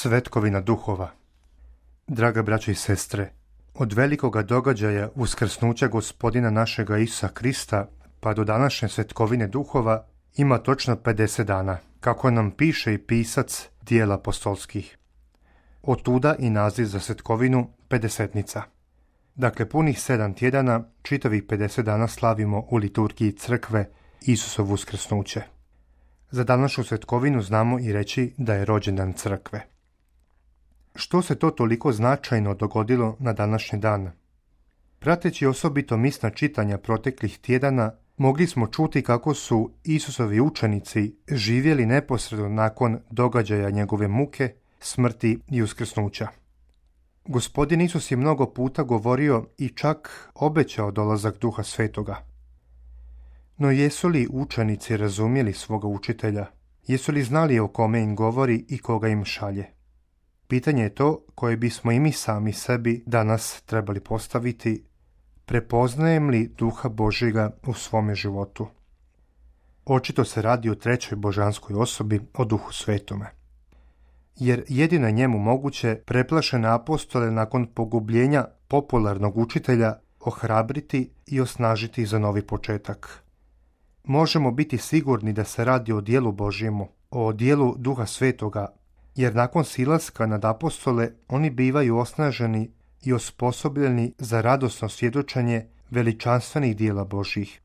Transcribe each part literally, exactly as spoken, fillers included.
Svetkovina duhova. Draga braćo i sestre, od velikoga događaja uskrsnuća Gospodina našega Isusa Krista pa do današnje Svetkovine duhova ima točno pedeset dana, kako nam piše i pisac Dijela apostolskih. Otuda i naziv za Svetkovinu pedesetnica. Dakle, punih sedam tjedana, čitavih pedeset dana slavimo u liturgiji crkve Isusovo uskrsnuće. Za današnju Svetkovinu znamo i reći da je rođendan crkve. Što se to toliko značajno dogodilo na današnji dan? Prateći osobito misna čitanja proteklih tjedana, mogli smo čuti kako su Isusovi učenici živjeli neposredno nakon događaja njegove muke, smrti i uskrsnuća. Gospodin Isus je mnogo puta govorio i čak obećao dolazak Duha Svetoga. No jesu li učenici razumjeli svoga učitelja? Jesu li znali o kome im govori i koga im šalje? Pitanje je to koje bismo i mi sami sebi danas trebali postaviti. Prepoznajem li Duha Božjega u svome životu? Očito se radi o trećoj božanskoj osobi, o Duhu Svetome. Jer jedino je njemu moguće preplašene apostole nakon pogubljenja popularnog učitelja ohrabriti i osnažiti za novi početak. Možemo biti sigurni da se radi o dijelu Božjemu, o dijelu Duha Svetoga, jer nakon silaska nad apostole oni bivaju osnaženi i osposobljeni za radosno svjedočenje veličanstvenih dijela Božjih.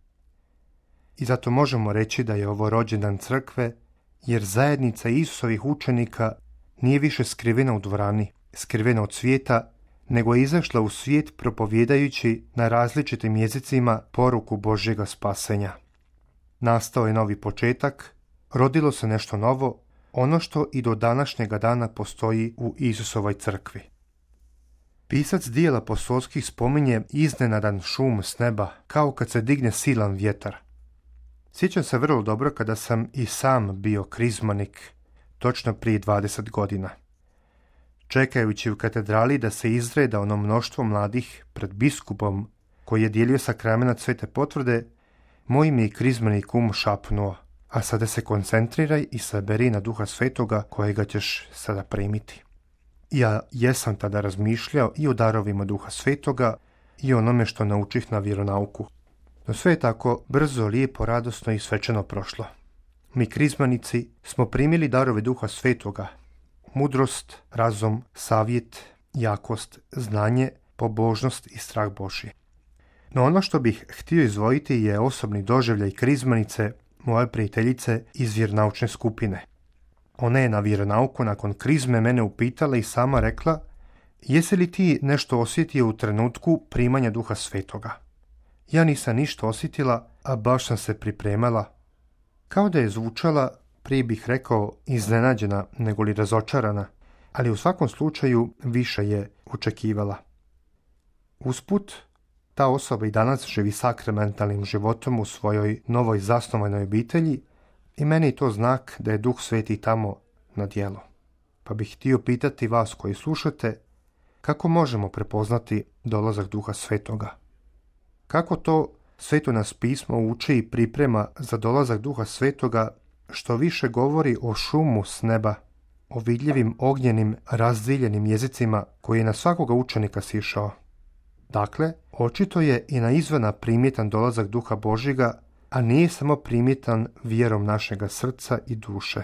I zato možemo reći da je ovo rođendan crkve, jer zajednica Isusovih učenika nije više skrivena u dvorani, skrivena od svijeta, nego je izašla u svijet propovjedajući na različitim jezicima poruku Božjega spasenja. Nastao je novi početak, rodilo se nešto novo, ono što i do današnjega dana postoji u Isusovoj crkvi. Pisac Dijela apostolskih spominje iznenadan šum s neba, kao kad se digne silan vjetar. Sjećam se vrlo dobro kada sam i sam bio krizmanik, točno prije dvadeset godina. Čekajući u katedrali da se izreda ono mnoštvo mladih pred biskupom koji je dijelio sakramenat Svete potvrde, moj mi je krizmani kum šapnuo: a sada se koncentriraj i saberi na Duha Svetoga kojega ćeš sada primiti. Ja jesam tada razmišljao i o darovima Duha Svetoga i onome što naučih na vjeronauku. No sve je tako brzo, lijepo, radosno i svečano prošlo. Mi krizmanici smo primili darove Duha Svetoga: mudrost, razum, savjet, jakost, znanje, pobožnost i strah Božji. No ono što bih htio izdvojiti je osobni doživljaj krizmanice, moje prijateljice iz vjeronaučne skupine. Ona je na vjeronauku nakon krizme mene upitala i sama rekla: jesi li ti nešto osjetio u trenutku primanja Duha Svetoga? Ja nisam ništa osjetila, a baš sam se pripremala. Kao da je zvučala, prije bih rekao, iznenađena nego li razočarana, ali u svakom slučaju više je očekivala. Usput, ta osoba i danas živi sakramentalnim životom u svojoj novoj zasnovanoj obitelji i meni je to znak da je Duh Sveti tamo na djelu. Pa bih htio pitati vas koji slušate, kako možemo prepoznati dolazak Duha Svetoga? Kako to Sveto nas pismo uči i priprema za dolazak Duha Svetoga, što više govori o šumu s neba, o vidljivim ognjenim razdiljenim jezicima koji je na svakoga učenika sišao? Dakle, očito je i na izvana primjetan dolazak Duha Božjega, a nije samo primjetan vjerom našega srca i duše.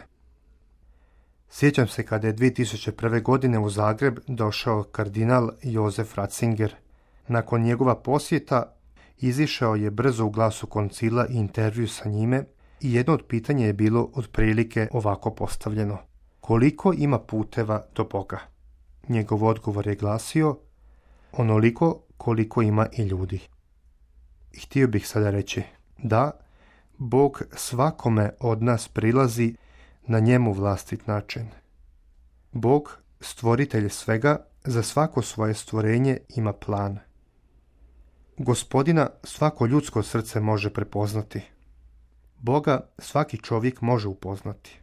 Sjećam se kada je dvije tisuće prve. godine u Zagreb došao kardinal Josef Ratzinger. Nakon njegova posjeta izišao je brzo u Glasu koncila i intervju sa njime i jedno od pitanja je bilo otprilike ovako postavljeno: koliko ima puteva do Boga? Njegov odgovor je glasio: onoliko koliko ima i ljudi. I htio bih sada reći: da, Bog svakome od nas prilazi na njemu vlastit način. Bog, stvoritelj svega, za svako svoje stvorenje ima plan. Gospodina svako ljudsko srce može prepoznati. Boga svaki čovjek može upoznati.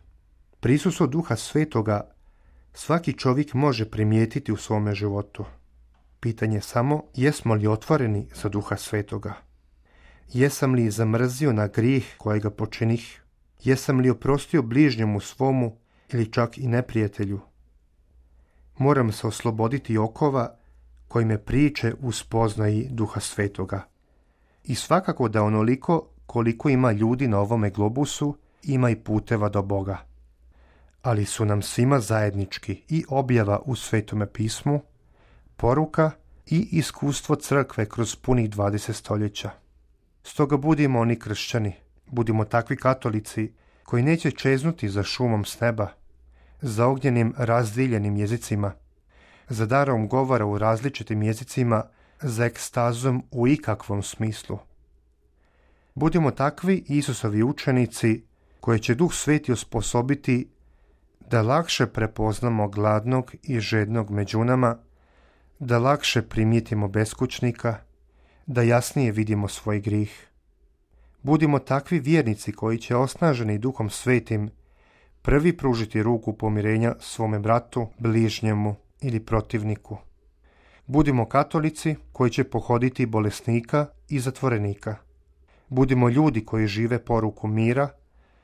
Prisustvo Duha Svetoga svaki čovjek može primijetiti u svome životu. Pitanje je samo jesmo li otvoreni za Duha Svetoga. Jesam li zamrzio na grijeh kojega počinih? Jesam li oprostio bližnjemu svomu ili čak i neprijatelju? Moram se osloboditi okova koji me priče u spoznaji Duha Svetoga. I svakako da onoliko koliko ima ljudi na ovome globusu, ima i puteva do Boga. Ali su nam svima zajednički i objava u Svetome pismu, poruka i iskustvo crkve kroz punih dvadeset stoljeća. Stoga budimo oni kršćani, budimo takvi katolici koji neće čeznuti za šumom s neba, za ognjenim razdiljenim jezicima, za darom govora u različitim jezicima, za ekstazom u ikakvom smislu. Budimo takvi Isusovi učenici koje će Duh Sveti osposobiti da lakše prepoznamo gladnog i žednog među nama, da lakše primijetimo beskućnika, da jasnije vidimo svoj grih. Budimo takvi vjernici koji će osnaženi Duhom Svetim prvi pružiti ruku pomirenja svome bratu, bližnjemu ili protivniku. Budimo katolici koji će pohoditi bolesnika i zatvorenika. Budimo ljudi koji žive poruku mira,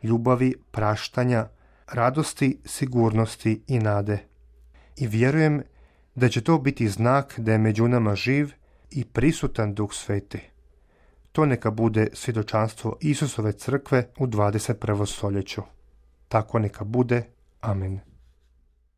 ljubavi, praštanja, radosti, sigurnosti i nade. I vjerujem da će to biti znak da je među nama živ i prisutan Duh Sveti. To neka bude svjedočanstvo Isusove crkve u dvadeset prvom stoljeću. Tako neka bude. Amen.